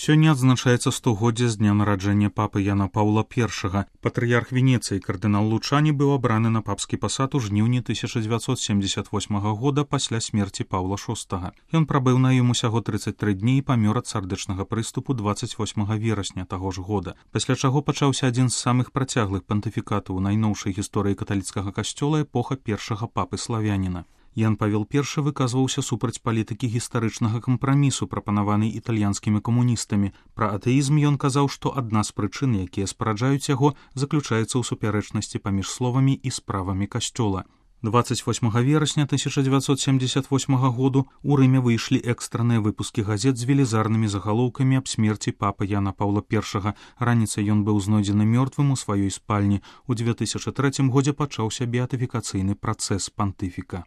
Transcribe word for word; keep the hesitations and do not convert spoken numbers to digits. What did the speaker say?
Сёння адзначаецца стагоддзе з дня нараджэння папы Яна Паўла першага. Патрыярх Венецыі кардынал Лучані быў абраны на папскі пасад у жніўні тысяча дзевяцьсот семдзесят восьмага года пасля смерці Паўла шостага. Ён прабыў на ім усяго трыццаць тры дні і памёр ад сардэчнага прыступу дваццаць восьмага верасня таго ж года, пасля чаго пачаўся адзін з самых працяглых пантыфікатаў у найноўшай гісторыі каталіцкага касцёла эпоха першага папы славяніна. Ян Павел першы выказваўся супраць палітыкі гістарычнага кампрамісу, прапанаванай італьянскімі камуністамі. Пра атэізм ён казаў, што адна з прычын, якія спараджаюць яго, заключаецца ў супярэчнасці паміж словамі і справамі касцёла. дваццаць восьмага верасня тысяча дзевяцьсот семдзесят восьмага году у Рыме выйшлі экстранныя выпускі газет з велізарнымі загалоўкамі аб смерці папы Яна Паўла першага. Раніцай ён быў знойдзены мёртвым у сваёй спальні. У дзве тысячы трэцім годзе пачаўся беатыфікацыйны працэс пантыфіка.